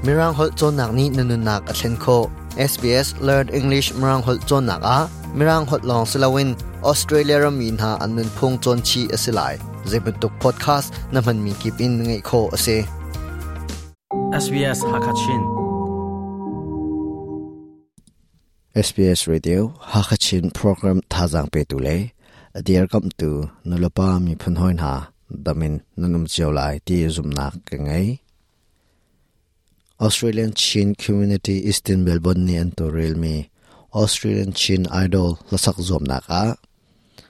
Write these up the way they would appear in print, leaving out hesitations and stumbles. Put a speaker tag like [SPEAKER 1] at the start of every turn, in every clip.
[SPEAKER 1] Mirang holh cawnnak nih na nunnak a thlen khawh. SBS Learn English Mirang holh cawnnak ah Mirang holh lawng si loin Australia rammi hna an nunphung cawn chih a si lai. Zeibantuk podcast na hmanmi kip in ngaih khawh a si.
[SPEAKER 2] SBS Hakachin.
[SPEAKER 1] SBS Radio Hakachin program thazaang petu le a dirkamhtu nulepa miphun hawi hna damin nan um cio lai ti zumhnak ka ngei. Australian Chin Community Eastern Melbourne nih an tawlrelmi Australian Chin Idol hlasak zuamnak ah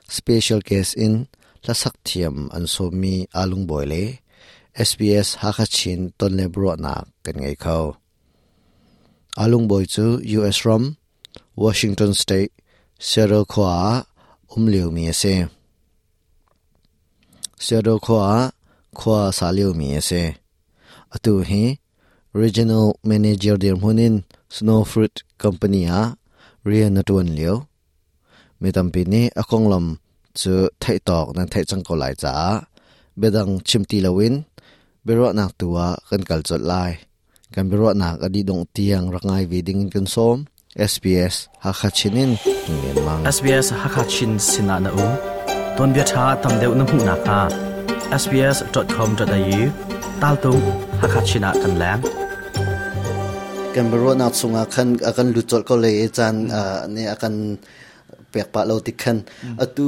[SPEAKER 1] special guest in hlasak thiam an sawmmi Alung Bawi le SBS Hakha Chin tonle biaruahnak kan ngei kho. Alung Bawi cu US ram Washington State Seattle khua ah um liomi a si. Seattle khua ah khua a sa liomi a si. Atu hi Regional Manager dirhmun in Snow Fruit Company ah rian a ṭuan lio. Mi tampi nih a konglam cu theih tawk nan theih cang ko lai caah biadang chim ti loin biaruahnak tu ah kan kal colh lai. Kan biaruahnak a dih dongh tiang rak ngai ve ding in kan sawm. SBS Hakha Chin in Ngen Mang.
[SPEAKER 2] SBS Hakha Chin sinah na um. Tuanbia ṭha tam deuh na hmuh nakhnga sbs.com.au taltung Hakha Chin ah kan leng.
[SPEAKER 1] Kan biaruahnak chungah khan a kan lut colh ko lei i caan nih a kan pek pah lo tik khan atu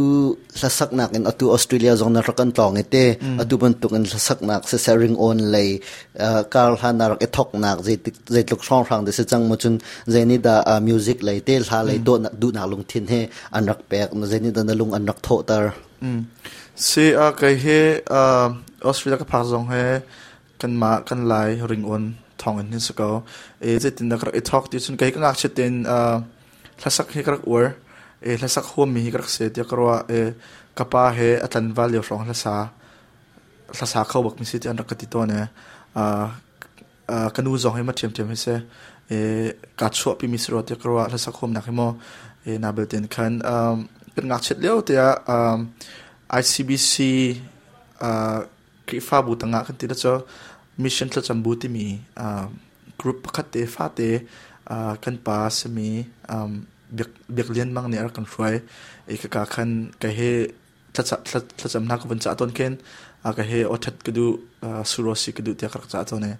[SPEAKER 1] hlasaknak in atu Australia zong na rak kan tlawng i te atu bantuk in hlasaknak siseh ringawn lei kar hlan na rak i thoknak zeitluk hrawnghrang de si cang mu cun zei dah music lei te hla lei duhnak lungthin he an rak pek zei nih dah na lung an rak thawhter?
[SPEAKER 3] Si a kei hi Australia ka phak zong he kanmah kan Lai ringawn thawng in hin si ko. E zeitin dah ka rak i thawk ti cun kei ka ngakchia tein Hlasak hi ka rak uar. Hlasak huammi hi ka rak si tiah ka ruah. Ka pa he a tlanval lio hrawng hlasa hlasa kho bakmi si tiah an rak ka ti tawn. Ka nu zong hi ma ṭhiamṭhiam hi si. Kaa chuahpimi si rua tiah ka ruah. Hlasak huamnak hi maw. Na belte in khan kan ngakchiat lio tiah ICBC Khrihfabu tangah kan ti la cu Mission Thlacam Bu timi group pakhat te fate kan pa simi Biak Lian Mang nih a rak kan hruai. I kaka khan ka he thlacam hna ka vun cah tawn khin ka he awthat ka duh surosi ka duh tiah ka rak cah tawn i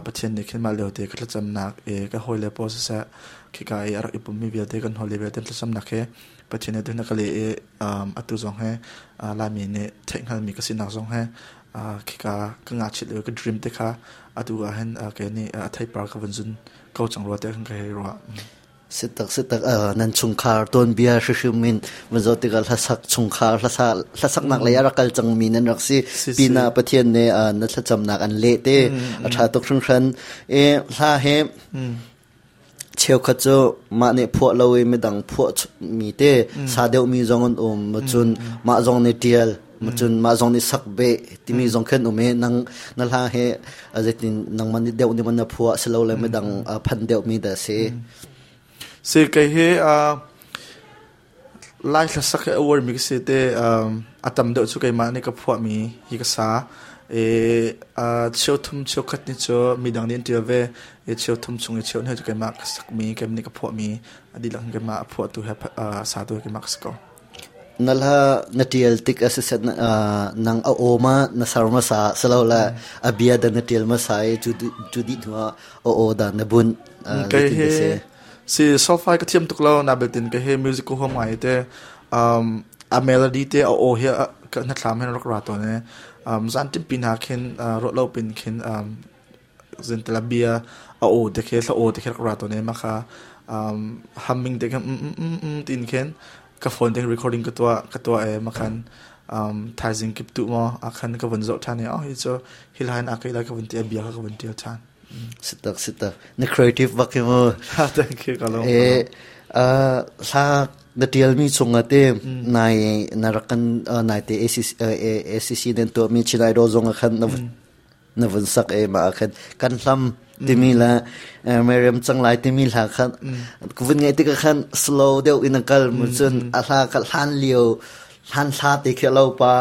[SPEAKER 3] Pathian nih khin mah lio te ka thlacamnak i ka hawile pawl siseh khika i a rak i pummi vialte kan hawile vialte thlacamnak he Pathian nih tuhin a ka leh i atu zong he Laimi nih theihhngalmi ka sinak zong he khika ka ngakchiat lio ka dream te kha atu ah hin kei nih a theipar ka vun zun ko cang rua tiah kan ka hei ruah.
[SPEAKER 1] Sitak sitak nan chungkhar tuanbia hrihrim in van zoh tikah hlasak chungkhar hlasaknak lei a rak kal cangmi nan rak si pina Pathian nih na thlacamnak an leh te a ṭha tuk hringhran. E hla he Cheukhat cu mah nih phuah lo i midang phuah mi te sa deuhmi zong an um. Cun mah zong nih ṭial, cun mah zong nih sak beh timi zong khin um i nang na hla he zeitin nangmah nih deuh nih man na phuah silole midang phan deuhmi dah si?
[SPEAKER 3] Si kei hi Lai hlasak hi a uarmi ka si te. A tam deuh cu keimah nih ka phuahmi hi ka sa. I cheu thum cheu khat nih cu midang nih an ṭial ve. I cheu thum chung i cheu hnih cu keimah ka sakmi, keimah nih ka phuahmi, a dihlak in keimah a phuahtu he a satu he keimah ka si ko.
[SPEAKER 1] Na hla na ṭial tik a siseh nang a aw ma na ser hmasa silole a bia dah na ṭial hmasa i cu dih hnu ah a aw dah na bunh
[SPEAKER 3] Kei hi Si solfai ka thiam tuk lo na beltin ka he music ko huam ngai te a melody te a aw hi ka hnathlam hin rak ra tawn e zan tim pin ha khin ro lo pin khin zin tela bia a aw te khe thla aw te khe rak ra tawn e ma kha humming te khan tin khin ka phone te recording ka tua e ma khan thaizing kip tu mo a khan ka vun zo than e oh hi chu hi line a kai la ka vun ti a bia ka vun tial than.
[SPEAKER 1] Sitak sitak. Na creative bak hi mu.
[SPEAKER 3] Thank you ka lawm.
[SPEAKER 1] E hla na tialmi chungah te nai na rak kan nai te ACC ACC den to mi Chin Idol zong ah khan na vun sak e ma khan kan hlam timi la Miriam chang lai timi hla khan vun ngai tik khan slow deuh in kal mu cun a hla ka hlan lio hlan hla te khi lo pa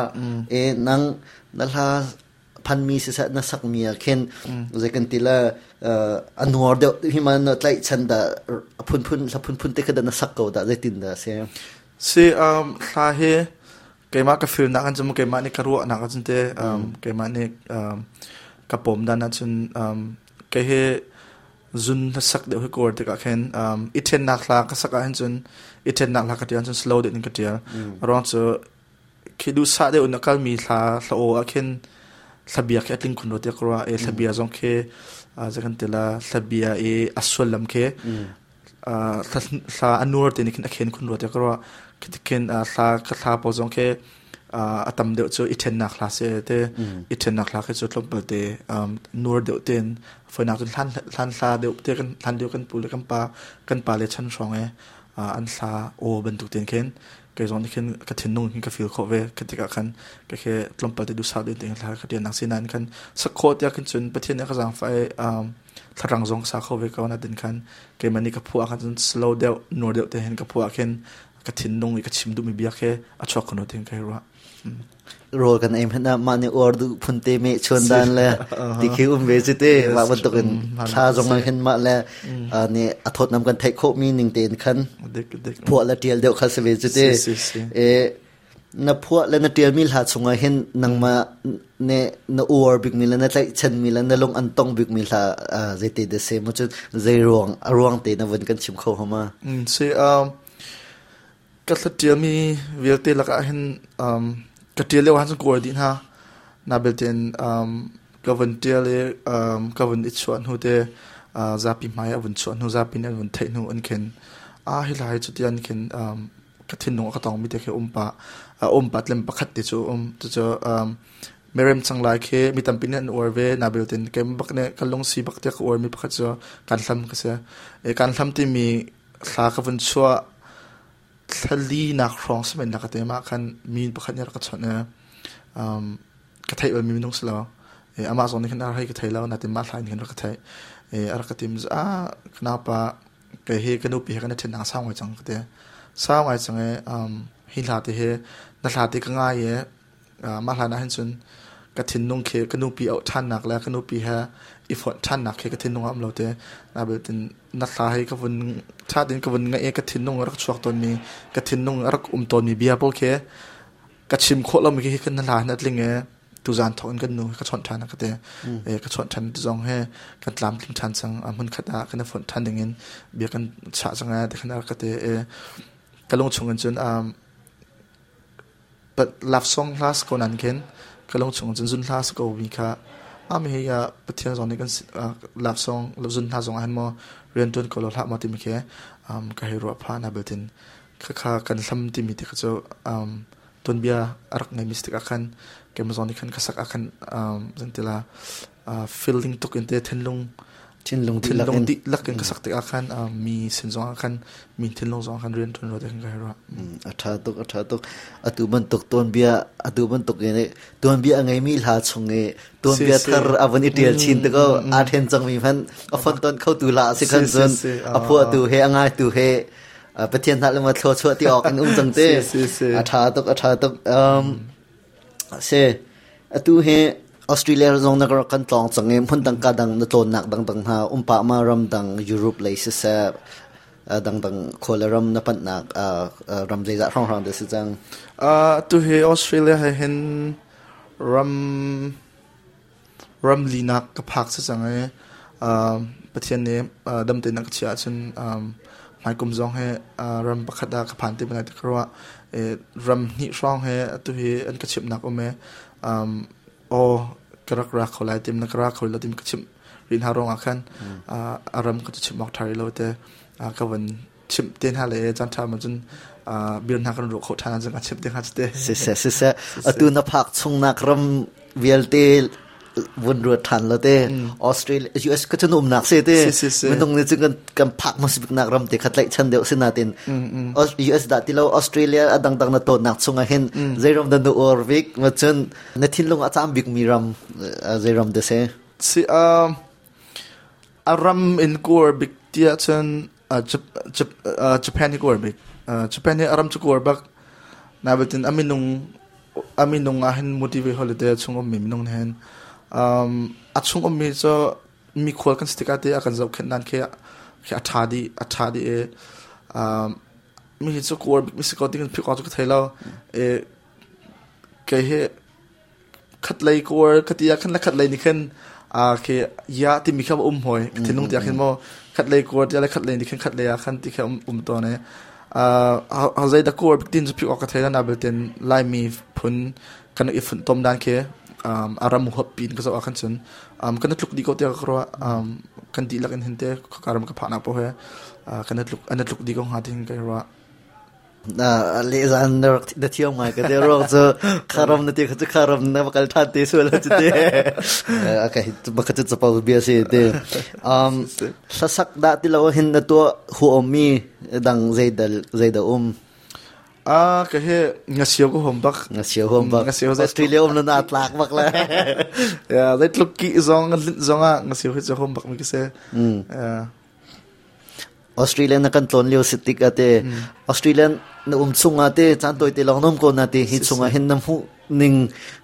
[SPEAKER 1] e nang na hla Phanmi siseh na sakmi ah khin zei kan ti la, a nuar deuh hi ma na tlaihchan dah, a phunphun hla phunphun te kha dah na sak ko dah, zeitin dah si?
[SPEAKER 3] Si, hla hi keimah ka feel nak an cun, keimah nih ka ruahnak ahcun te, keimah nih ka pawm dan ahcun, kei hi zun hlasak deuh hi ka uar tikah khin i ṭhennak hla ka sak ahhin cun, i ṭhennak hla ka ṭial cun slow deuh in ka ṭial. A ruang cu khi duhsah deuh in a kalmi hla hla aw ah khin hlabia khi a tling khun rua tiah ka ruah i hlabia zong khi zei kan ti la, hlabia i a sullam khi hla a nur te nih khin a khen khun rua tiah ka ruah. Khi khin hla ka hla pawl zong khi a tam deuh cu i ṭhennak hla si te, i ṭhennak hla khi cu tlawmpal te nur deuh tein, foinak cun hlan hlan hla deuh te kan hlan deuh kan pu le kan pa le chan hrawng i an hla aw bantuk tein khin kei zong nih khin ka thinlung hin ka feel khawh ve. Khi tikah khan ka khi tlawmpal te duhsah deuh tein hla ka ṭialnak si nain khan sak khawh tiah khin cun Pathian nih a ka zaangfah i thlarang zong sa kho ve ko na tin khan keimah nih ka phuah khan cun slow deuh, nur deuh te hin ka phuah khin ka thinlung i ka chim duhmi bia khi a chuak khun tin ka ruah.
[SPEAKER 1] Rawl kan ei hmanh ah mah nih uar duh phun te meh chuan dan le ti khi um ve cu te. Mah bantuk in thla zong ah hin mah le nih a thawtnam kan theih khawh mi ning tein khan phuah le tial deuh kha si ve cu te. E na phuah le na tial mi hla chungah hin nangmah ne na uar bik mi le na tlaihchan mi le na lung an tong bik mi hla zeite de se mu cu, zei ruang a ruang te na vun kan chim kho hama?
[SPEAKER 3] Si, ka hla ṭialmi vialte lakah hin ka ṭial lio ahcun ka uar dih hna. Na belte in ka vun ṭial i ka vun i chuah hnu te, zapi hmai a vun chuah hnu, zapi nih an vun theih hnu in khin, a hi hla hi cuti an khin ka thinlung a ka tongmi te khi um pah, a um pah tlem pakhat te cu um. Cucu merem cang lai khi mi tampi nih an uar ve. Na belte in keimah bak nih ka lungsi bak tiah ka uarmi pakhat cu kan hlam ka si. Kan hlam timi hla ka vun chuah thlali nak hrawng si men ka te mah khan mi pakhat nih rak ka chawnh i ka theih balmi minung si lo. Amah zong nih khan a hei ka thei lo natin mah hla in khin rak ka theih. A rak ka tim ah, ka naupa, kei hi ka nupi he kan i ṭhen sau ngai cang ka ti, sau ngai cang i hi hla te hi na hla te ka ngai i mah hlan ah hin cun ka thinlung khi ka nupi auh ṭhannak le ka nupi he i fonh ṭhannak khi ka thinlung ah um lo te. Nain na hla hi ka vun ṭha tein ka vun ngaih i ka thinlung a rak chuak tawnmi, ka thinlung a rak um tawnmi bia pawl khi ka chim khawh lomi khi kan hla hin a tling i tuzan thawk in kan nu ka chawnh ṭhan ka ti. Ka chawnh ṭhan ti zong he kan tlamtling ṭhan cang, hmun khat ah kan i fonh ṭhan ding in bia kan chah cang e ti khan a rak ka ti i ka lung chung in cun but love song hla si ko nan khin ka lung chung cun zun hla si ko mi kha ami hi Pathian zong nih kan love song zun hla zong ah hin maw rian tuan ko lo hlah maw timi khi ka hei ruah pha na beltin kha kan hlam timi te kha cu tuanbia a rak ngeimi si tikah khan keimah zong nih khan ka sak ah khan zantila feeling tuk in te thinlung
[SPEAKER 1] thinlung
[SPEAKER 3] thinlung dihlak in ka sak tikah khan mi sin zong ah khan mi thinlung zong ah khan rian ṭuan rua te khan ka hei ruah.
[SPEAKER 1] A ṭha tuk, a ṭha tuk. Atu bantuk tuanbia, atu bantuk in tuanbia a ngeimi hla chung i tuanbia thar a vun i ṭial chin te ko, aa ṭhen cangmi hmanh a fonton kho tu hla a si khan cun a phuahtu he a ngaitu he Pathian hna le ma thlua chuah ti awk in um cang te. A ṭha tuk, a ṭha tuk. Si, atu hi Australia zong na rak kan tlawng cang i hmun dang ka dang na tlawnnak dangdang hna um pah ma, ram dang Europe lei siseh, dangdang khua le ram na panhnak ram zeizah hrawnghrang dah si cang?
[SPEAKER 3] Atu hi Australia he hin ram ram linak ka phak si cang i Pathian nih dam tein a ka chiah ahcun hmaikum zong hi ram pakhat ah ka phan te lai ti ka ruah. Ram hnih hrawng he atu hi an ka chimhnak um i aw ka rak ra kho lai tim na ka ra kho lo tim ka chimh rih hna ruangah khan a ram ka chimh awk ṭha rih lo te. Ka van chimh te hna le caan ṭha ma cun bir hna kan ruah khawh ṭhan ahcun ka chimh te hnga cu te.
[SPEAKER 1] Siseh, siseh, atu na phak chungnak ram vialte vun ruat ṭhan lo te. Australia, US ka cun umnak se te. Minung nih cun kan phak hmasabiknak ram te kha tlaihchan deuh si natin US dah ti lo, Australia a dangdang na tawnnak chungah hin zei ram dah na uar bik ma, cun na thinlung a cam bikmi ram zei ram dah si?
[SPEAKER 3] Si, a ram in kuar bik tiah cun Japan hi kuar bik. Japan hi a ram cu kuar bak. Nabiltin a minung ah hin motivate holiday chung ummi minung hin. A chung ummi cu mikhual kan si tikah te a kan zohkhenh dan khi a ṭha dih, a ṭha dih i mi hi cu kuar bik mi si ko ti kan philh awk cu ka thei lo. I kei hi khatlei kuar ka ti ah khan le khatlei nih khin khi ya timi kha um hoi thinlung tiah khin maw khatlei kuar tiah le khatlei nih khin khatlei ah khan ti kha um tawn i zei dah kuar bik tin cu philh awk ka thei lo na belten Laimi phun kan i funtom dan khi a ram huap pin ka zoh ah khan cun kan tluk dih ko tiah ka ruah. Kan dihlak in hin te karam ka phah nak poh he kan tluk an tluk dih ko hnga tin ka ruah.
[SPEAKER 1] Le zan na rak na thiam ngai ka te ruang cu kharam na ti kha cu kharam na va kal than te sual cu te. Okay, baka cu chapo bia si te. Hlasak dah ti lo hin na tua huam mi dang zeidal zeida um?
[SPEAKER 3] Ah, ka he ngasio ko hom bak.
[SPEAKER 1] Ngasio hom bak.
[SPEAKER 3] Ngasio
[SPEAKER 1] Australia um na tlak bak le.
[SPEAKER 3] Ya, zai tluk ki zong zong ah ngasio hi hom bak mi ka se.
[SPEAKER 1] Ya. Australia na kan tlon lio si tik ate Australia na um chung ate chan toi te long nom ko na te hi chunga hin na hmu ning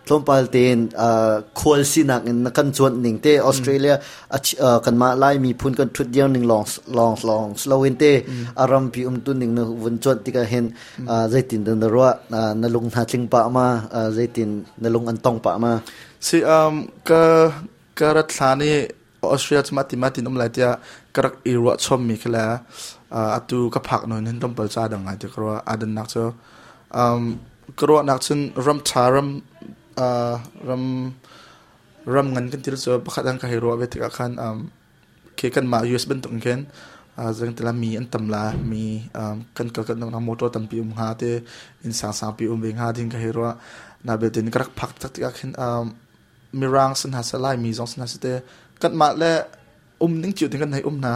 [SPEAKER 1] tlawmpal tein khual sinak in na kan cuanh ning te Australia kanmah Lai miphun kan ṭhut dir ning lawng lawng lawng slow in te a rampi um tu ning na vun cuanh tikah hin zeitin na ruah? Na lung hna tling pah ma? Zeitin na lung an tong pah ma?
[SPEAKER 3] Si ka ka rat hlan i Australia cu mah tin um lai tiah ka rak i ruah chom mi khi le atu ka phak nawn hin tlawmpal ca dang ngai ti ka ruah. Adannak cu ka ruahnak cun ram ṭha, ram ram ram ngan kan til cu pakhat an ka hei ruah ve tikah khan khi kanmah US bantuk in khin zeng tila mi an tam la, mi kan kal kan motor tampi um hnga te, inn sang sangpi um ve hnga ding ka hei ruah. Na betin ka rak phak tak tikah khin Mirang sin hna seh, Laimi zong sin hna seh te, kanmah le um ning cio tin kan hei um hna.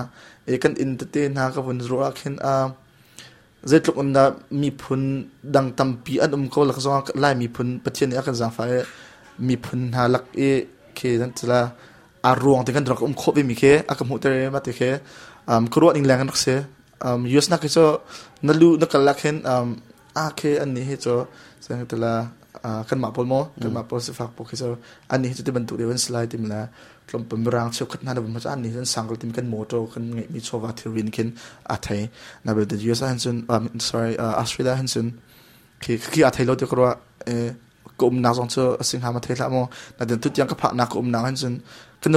[SPEAKER 3] E kan inn tete hna ka vun ruah ah khin zeitluk in dah miphun dang tampi an um ko lak zong Lai miphun Pathian nih a kan zaangfah i miphun hna lak i khi nan tila a ruang te kan rak um khawh ve mi khi a ka hmuhter i mah te khi ka ruah ning leng an rak si. US nak hi cu na lu na kal lak hin a khi an nih hi cu tila kanmah pawl maw, kanmah pawl sifak pawl khi cu an nih hi cu ti bantuk deuh an si lai tim le tlawmpal mirang cheukhat hna na vun hmu an nih an sang ko tim kan motor kan ngeihmi chawva thilri khin a thei. Na belte US ah hin cun, sorry, Australia hin cun khi khi a thei lo ti ka ruah. Ka umnak zong cu a si hnga ma thei hlah maw, na den tu tiang ka phaknak ka umnak hin cun kan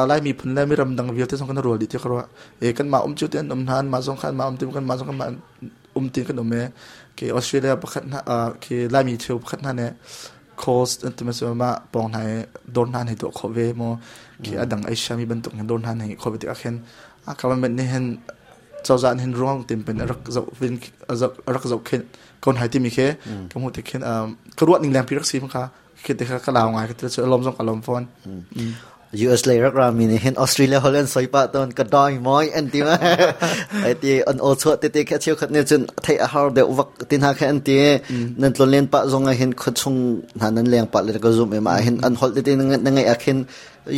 [SPEAKER 3] Lai miphun le miram dang vialte zong kan rual dih ti ka ruah. E kanmah um cu te an um hna, anmah zong kha anmah um ti, kanmah zong kanmah um ti kan um. E ke Australia pakhat hna ke Laimi cheu pakhat hna nih calls an ti ma mah pawng hna i dawr hna hei tuah khawh ve maw, khi adang Asia mi bantuk hin dawr hna hei khawh ve tikah khin a government nih hin, cozah nih hin ruang tim pen rak zoh vin rak zoh khin kon hai timi khi ka hmuh tik khin ka ruah ning leng pi rak si kha khi te kha ka lau ngai ka ti cu lom zong ka lom fawn.
[SPEAKER 1] US lei rak rami nih hin Australia holh an soi pah tawn, ka doi moi an ti ma ai ti an aw chuah tete kha cheukhat nih cun theih a har deuh vak ti hna kha an ti. Nan tlon len pah zong ah hin khuachung hna nan leng pah le ka zum em ah hin an holh tete na ngeih ah khin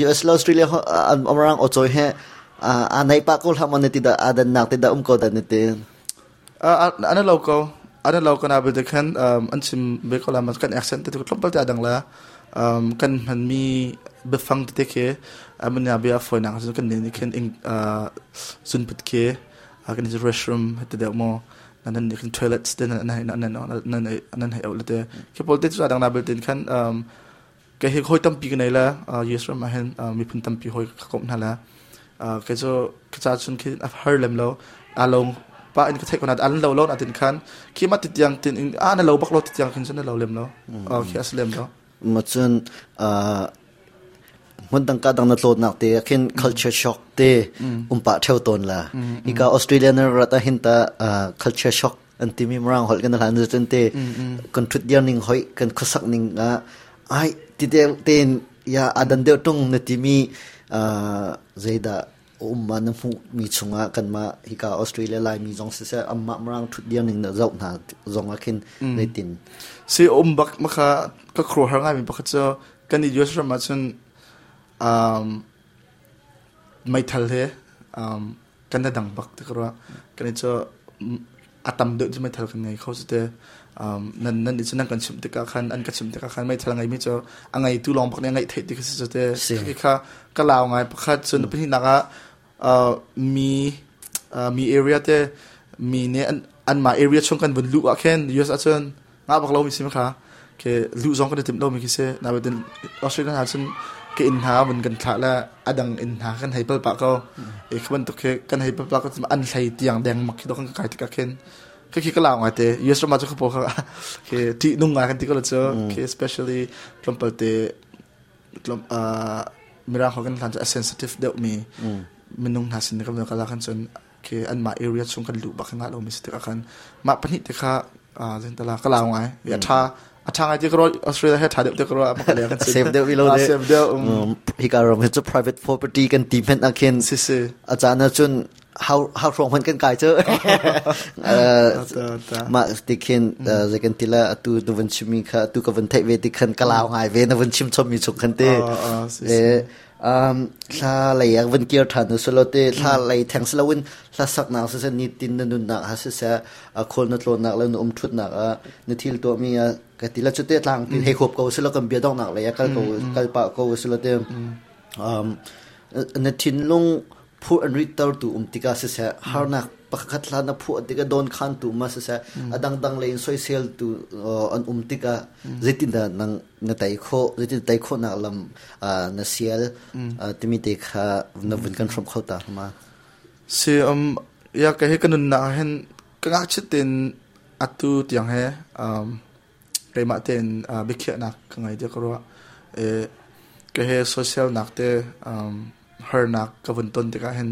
[SPEAKER 1] US le Australia an amrang aw choi he a nei pah ko hlah mon ti da adan nak ti da um ko da ni ti?
[SPEAKER 3] An lo ko, an lo ko na belte khan an chim ve ko la ma kan accent te tlawmpal te adang la, kan hmanmi biafang tete khi amunya bia foinak cu kan ni khin zunput khi kan restroom te deuh mo nan ni khin toilet te nan nan nan nan hei le te khi pol te chu adang na belte khan Kei hi hawi tampi ka nei le US ram ah hin miphun tampi hawi ka komh hna le kei cu ka ca chun khi a har lem lo. A lo pa in ka theih ko na an lo lo na tin khan khi ma ti tiang tin in a na lo bak lo ti tiang khin cun na lo lem lo khi a si lem lo.
[SPEAKER 1] Ma cun hmun dang ka dang na tlawtnak te khin culture shock te um pa theu ton la. Ika Australia na rat a hin ta culture shock an timi Mirang holh kan hlan cun te kan thut dir ning hoi kan khuasak ning ah ai ti tein ya adan deuh tung na timi zeidah um ma na hmuh mi chungah kanmah hika Australia Laimi zong siseh amma Mirang thut dir ning na zoh hna zong ah khin zeitin?
[SPEAKER 3] Si um bak maka ka khro har ngai mi pakhat cu kan i US ram ah cun meithal he kan na dang bak ti ka ruah. Kan i cu. A tam deuh cu meithal kan ngei kho cu te. Nan nan nih cun nan kan chimh tikah khan an ka chimh tikah khan meithal a ngeimi cu a ngeitu lawng bak nih a ngeih theih ti kha si cu te. Khi kha ka lau ngai pakhat. Cun pahnihnak ah mi mi area te mi nih anmah area chung kan vun luh ah khin US ahcun ngah bak lomi si kha ke luh zong kan i timh lomi khi si. Nain Australia hna cun ka inn hna vun kan thlah le a dang inn hna kan hei pal pah ko. E khi bantuk khi kan hei pal pah ko an hlei tiang deng mak khi kan kai tikah khin khi khi ka lau ngai te. US ram ah cu khapo kha khi ṭih nung ngai kan ti ko lo cu khi especially tlawmpal te mirang ho kan hlan cu a sensitive deuh mi minung hna sin kan kala kan cun khi anmah area chung kan luh bak ngah lomi si tikah khan mah pahnih te kha zentala ka lau ngai. A tha a tha ngai ti ka Australia he tha deuh te ka ro ma ka
[SPEAKER 1] kan safe deuh ilo de.
[SPEAKER 3] Safe deuh.
[SPEAKER 1] Hika ram hi cu private property kan ti hmenh ah khin
[SPEAKER 3] si si.
[SPEAKER 1] A caan ah cun how how hrawng hman kan kai cu mah ti khin zei kan ti la atu tu van chimmi kha atu ka van theih ve ti khan ka lau ngai ve na van chim chom mi chung khan te. Thla lei ah van kir ṭhan u silo te thla lei theng si loin hla saknak siseh nitin na nunnak ah siseh a khawl na tlawnnak le na um ṭhutnak ah na thil tuahmi ah ka ti la cu te tlang ti hei huap ko silo kan bia donghnak lei ah kal ko kal pah ko silo te na thinlung phu an ritter tu um tikah siseh harnak pakhat hla na phuah tikah don khan tu ma siseh a dangdang lei in soisel tu an um tikah zeitindah nang na tei khawh zeitin tei khawhnak lam na sial timi te kha na vun kan hrawm kho ta ma?
[SPEAKER 3] Si ya ka hi ka nunnak hin ka ngakchit tin atu tiang he keimah tein biakhiahnak ka ngei tiah ka ruah. Ka he social nak te harnak ka vun ton tikah hin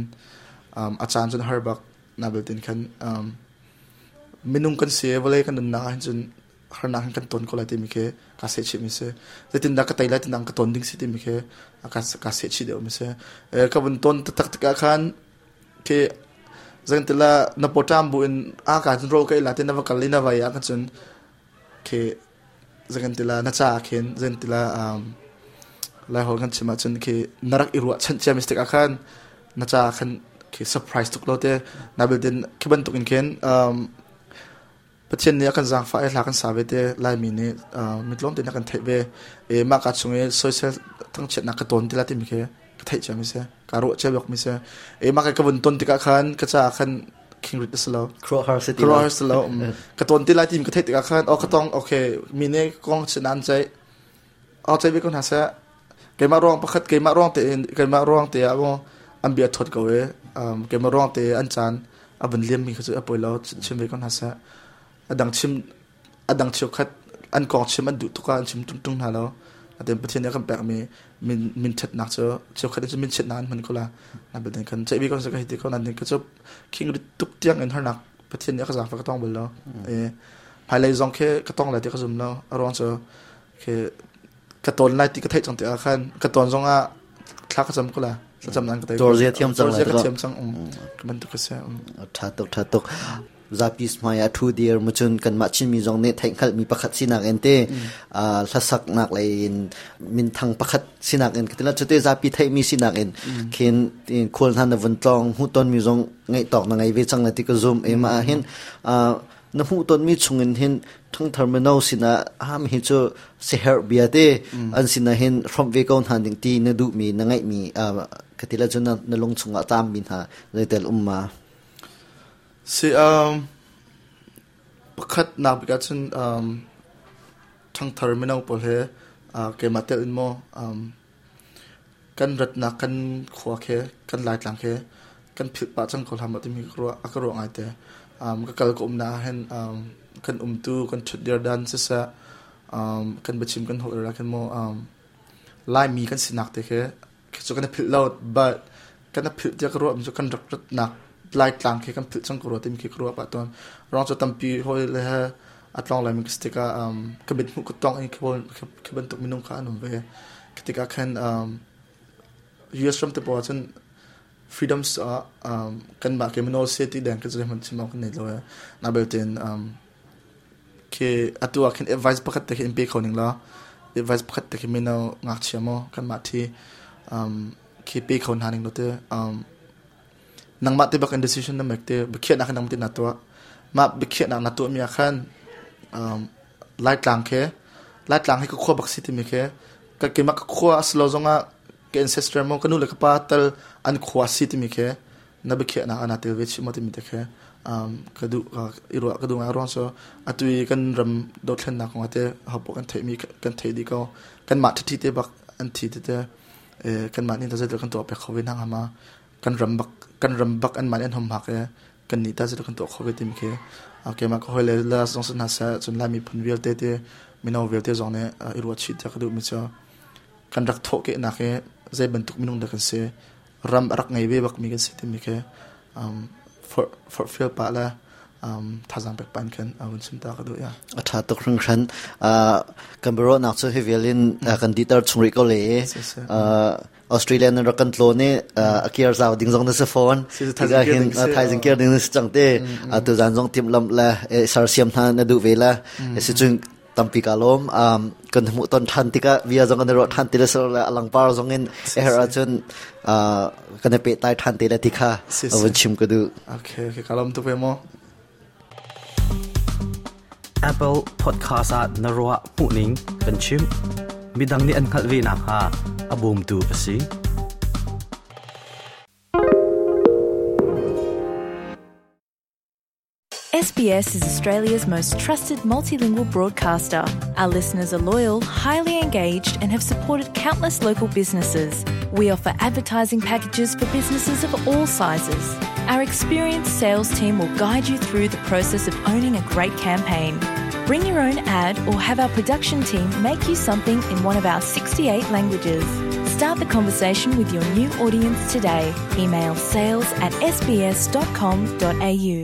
[SPEAKER 3] a caan cun har bak na beltin khan minung kan si vawlei kan nunnak ah hin cun harnak hin kan ton ko lai timi khi ka sehchih mi si. Zeitindah ka tei lai tinang ka ton ding si timi khi ka sehchih deuh mi si. Ka vun ton taktak tikah khan khi zangtila na pawṭam bu in a ka cun ro ka ila te na va kal i na vai ah kan cun khi zangtila na ca khin zangtila lai hol kan chim ahcun khi na rak i ruah chanh cia mi tikah khan na ca khan khi surprise tuk lo te na biltin khi bantuk in khin Pathian nih a kan zaangfah i hla kan sa ve te. Laimi nih mitlawm tein a kan theih ve. I mah ka chung i soisel thangchiatnak ka tawn ti la timi khi ka theih cia mi si. Ka ruah cia bak mi si. I mah ka vun ton tikah khan ka caah khan khingrit a si lo.
[SPEAKER 1] Khuaruahhar si
[SPEAKER 3] ti lo. Khuaruahhar si lo. Ka tawn ti lai timi ka theih tikah khan oh ka tong okay mi nih kong chin an ceih. Oh ceih ve ko hna seh. Keimah ruang pakhat keimah ruang te keimah ruang te ah maw an bia thawt ko i keimah ruang te an caan a vun liam mi kha cu a poi lo chim ve ko hna seh. A dang chim a dang cheukhat an kong chim an duh tuk ah an chim tung tung hna lo. Atin Pathian nih a kan pek mi min min ṭhatnak cu cheukhat cu min chiatnak an hman ko la. Na bel kan ceih bi ko ka hei ti ko nan ka cu khing rit tuk tiang in harnak Pathian nih a ka zaangfah ka tong bal lo. E hmailei zong khi ka tong lai ti ka zum lo. A ruang cu khi ka tawn lai ti ka theih cang tikah khan ka tawn zong ah thla ka cam ko la. Thlacam nan ka tei.
[SPEAKER 1] Tor zia thiam cang
[SPEAKER 3] lai. Ka thiam cang. Ka bantuk ka si.
[SPEAKER 1] Tha tuk tha tuk. Zapi hmai ah thu dir mu cun kanmah Chinmi zong nih theihhngalhmi pakhat sinak in te hlasaknak lei in minthang pakhat sinak in katila cute zapi theihmi sinak in khin khual hna na vun tlawng hmuhtonmi zong ngeih tawk na ngei ve cang na ti ka zum e ma hin na hmuhtonmi chungin hin ṭhangthar mino sinah ham hi cu siherh bia te an sinah hin hrawmh ve ko hna ding ti na duhmi na ngeihmi katila cu na lung chungah taammi hna zeitel um ma?
[SPEAKER 3] Si pakhat nak bik ahcun ṭhangthar mino pawl he keimah telh in maw kan ratnak kan khua khi kan Laitlang khi kan philh pah cang ko hlah maw timi a ka ruah ngaite. Ka kal ka umnak ah hin kan umtu kan ṭhutdir dan siseh kan biachim kan holh ah khin maw Laimi kan sinak te khi khi cu kan i philh lo but kan i philh tiah ka ruah mi cu kan rak ratnak Laitlang khi kan philh cang ko rua timi khi ka ruah pah tawn. Ruang cu tampi hawi le he a tlawng laimi ka si tikah ka mithmuh ka tawng i khi bantuk minung kha an um ve. Khi tikah khan US ram te pawl ah cun freedoms ah kanmah ke mino se ti deng ka zeihmanh chim awk kan nei lo e. Na belte in khi atu ah khin advice pakhat te khi in pe kho ning law advice pakhat te khi mino ngakchia maw kanmah thi khi pe kho hna ning lo te nangmah te bak in decision na mek te biakhiahnak nang te na tuah. Mah biakhiahnak na tuahmi ah khan um, Laitlang khi Laitlang hi ka khua bak si timi khi ka keimah ka khua a si lo zongah ka ancestor maw ka nu le ka pa tal an khua si timi khi na biakhiahnak ah naa tel ve chih maw timi te khi um, ka duh i ruah ka duh ngai ruang cu atu i kan ram dothlennak kong ah te hopoh kan theihmi kan theih dih ko kanmah ṭhiṭhi te bak an thi tete kanmah nih zeidah kan tuah pek kho ve hna hnga ma kan ram bak kan ram bak anmah nih an hum hak i kan nih ta zeidah kan tuah kho ve timi khi keimah ka hawile la zong si hna seh cun Lai miphun vialte te mino vialte zong nih i ruah chih tiah ka duhmi cu kan rak thawhkehnak hi zei bantuk minung dah kan si ram a rak ngei ve bakmi kan si timi khi forhfial pah le thazaang pek pah in khan vun chim ta ka duh ya.
[SPEAKER 1] A ṭha tuk hringhran. Kan biaruahnak cu hi vial in kan dihter chung rih ko le. Australia nan rak kan tlawn i a kiar zau ding zong na si fawn. Tikah hin thaizing kiar ding na si cang te. Tu zan zong timhlamh le sersiam hna na duh ve la. Si cun tampi ka lawm. Kan hmuh ton ṭhan tikah bia zong kan i ruah ṭhan ti le le a langpar zong in a herh ahcun kan i pehtlai ṭhan te le ti kha vun chim ka duh.
[SPEAKER 3] Okay, okay, ka lawm tuk ve mu.
[SPEAKER 2] Apple Podcast ah na ruah hmuhning kan chimh. Midang nih an hngalh ve nakhnga a bawmtu a si.
[SPEAKER 4] SBS is Australia's most trusted multilingual broadcaster. Our listeners are loyal, highly engaged, and have supported countless local businesses. We offer advertising packages for businesses of all sizes. Our experienced sales team will guide you through the process of owning a great campaign. Bring your own ad or have our production team make you something in one of our 68 languages. Start the conversation with your new audience today. Email sales at sbs.com.au.